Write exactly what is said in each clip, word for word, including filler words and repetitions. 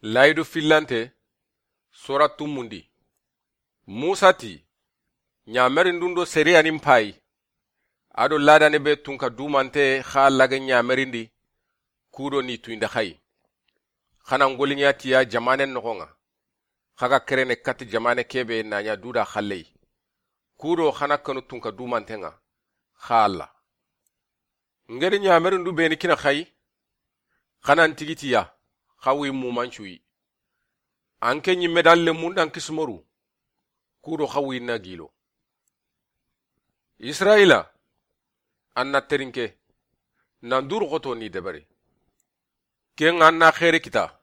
Layidu fillante, sora tumundi. Musa ti, ɲamerindun do seriyanin payi, a do ladane be tunka dumante xa lage ɲamerindi, kudo ni tuyinda xayi. Xana ngoliɲa tiya jamanen noxon ŋa, xa ga kerene kati jamane kebe na ɲa duda xalley. Kudo xana kanu tunka dumanten ŋa, xa Alla. Ngeri ɲamerindu beni kina xayi, xanan tigitiya, xa wi mumancuyi. An ke ɲimme dan lemun dan kisimoru, kudo xa wi na gilo. Israyila, an na terinke, nan duru xoto ni deberi. Ken ŋa an na xeeri kita,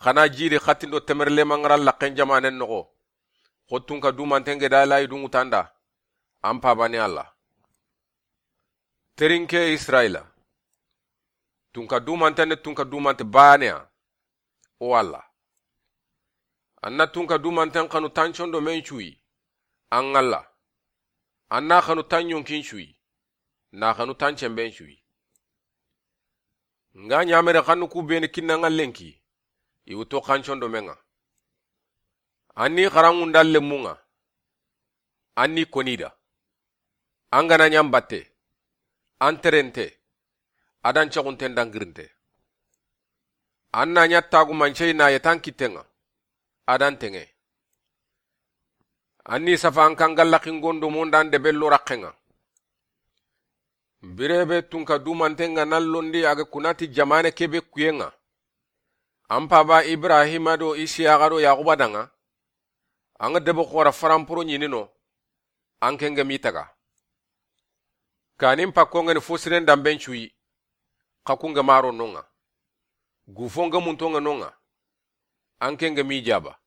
xana jiri xatindo temerlema ŋara laxen jamanen noxo, xo tunka dumanten ge da layi dunŋutanda, an pabani Alla. Terinke Israyila, tunka dumanten ne tunka dumante baneya, o Alla. An na tunka dumanten xanu tancondo men cuyi, an Alla. An na xanu tanɲonkin cuyi, na xanu tancemben cuyi. Nga ɲamere xannu ku beni kinna ŋa lenki, i wuto xancondo men ŋa. An ni xaranŋunda lemun ŋa, an ni konida. An gana ɲan batte, an terente, adan cexunten dangirinte. An na ɲa tagumancey na yetan kitten ŋa, adan teŋe. An ni safa an kan galla xingondo mondan debe lo raxen ŋa. Birebe tunka dumanten ŋa nan londi a ga kunati jamane kebe kuyen ŋa. An paba Ibrahima do Isiyaxa do Yaxuba danŋa. An ga debe xora faramporo ɲinino, an ke nge mi taga. Kanin pakko ngeni fo siren damben cuyi, xa ku nge maro nonŋa. Gufo nge munto nge nonŋa, an ke nge mi jaba.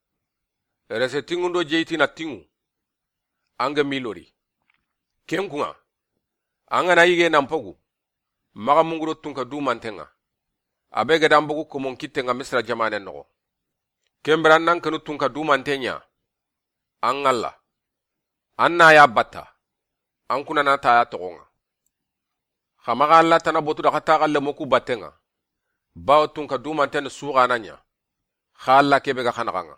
Rese tinŋundo jeyitina tinŋu, an nge mi lori. Ken kuŋa, an gana yige nan pogu, maxa mungudo tunka dumanten ŋa. A be ga dan bogu komon kitten ŋa Misira jamanen noxo. Ken bira an nan kanu tunka dumanten ɲa, an Alla. An na ya batta, an kuna na ta ya toxon ŋa. Xa maxa Alla tana botu da xa taxa lemo ku batten ŋa. Bawo tunka dumanten suxana ɲa, xa Alla kebe ga xanaxan ŋa.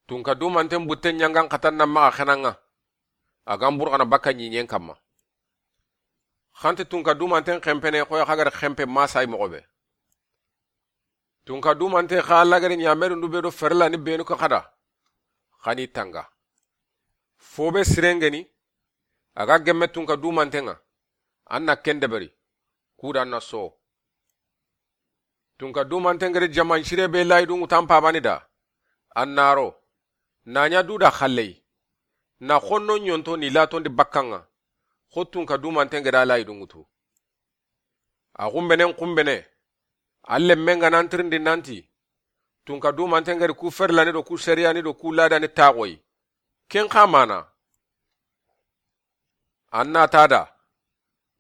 Tunka dumanten butten ɲangan xatan na maxa xenan ŋa. A gan burxana bakka ɲiɲen kamma. Xanti tunka dumanten xenpene xoy xa gari xenpe masay moxo be. Tunka dumante xa lagari ɲamerindu be do ferlani benu ka xada. Xani tanga. Fo be sirengeni, a ga gemme tunka dumanten ŋa, an na ken deberi, kuda an na so. Tunka dumanten gari jaman sire be layi dunŋutan pabani da, an na ro, na ɲa duda xalley, na xonno ɲonto ni latondi bakkan ŋa, xo tunka dumanten gada layi dunŋutu. A xunbenen xunbene, a lemmen ga nan tirindi nanti, tunka dumanten gari ku ferlani do ku seriyani do ku ladani taxoyi. Ken xa mana. An na ta da,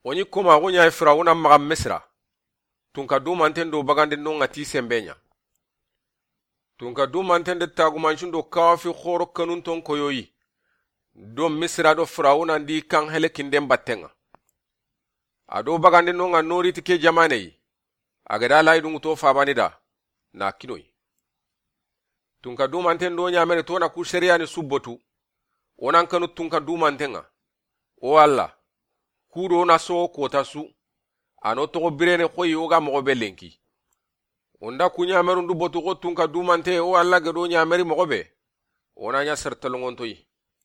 o ɲi koma xo ɲa Firawuna maxa Misira. Tunka dumanten do bagandi nonŋa ti sembe ɲa. Tunka dumanten de tagumancun do kawafi xoro kanun ton koyoyi. Do Misira do Firawuna ndi kan helekinden batten ŋa. A do bagandi nonŋa noriti ke jamaneyi. A gada layi dunŋuto fabani da, na kinoyi. Tunka dumanten do ɲamene to na ku seriyani subbotu. O nan kanu tunka dumanten ŋa. O Alla, ku do na soxo kota su. A no toxo birene xoyi o ga moxo be lenki. O nda ku ɲamerundu botu xo tunka dumante o Alla ga do ɲameri moxo be. O na ɲa sertelongontoyi.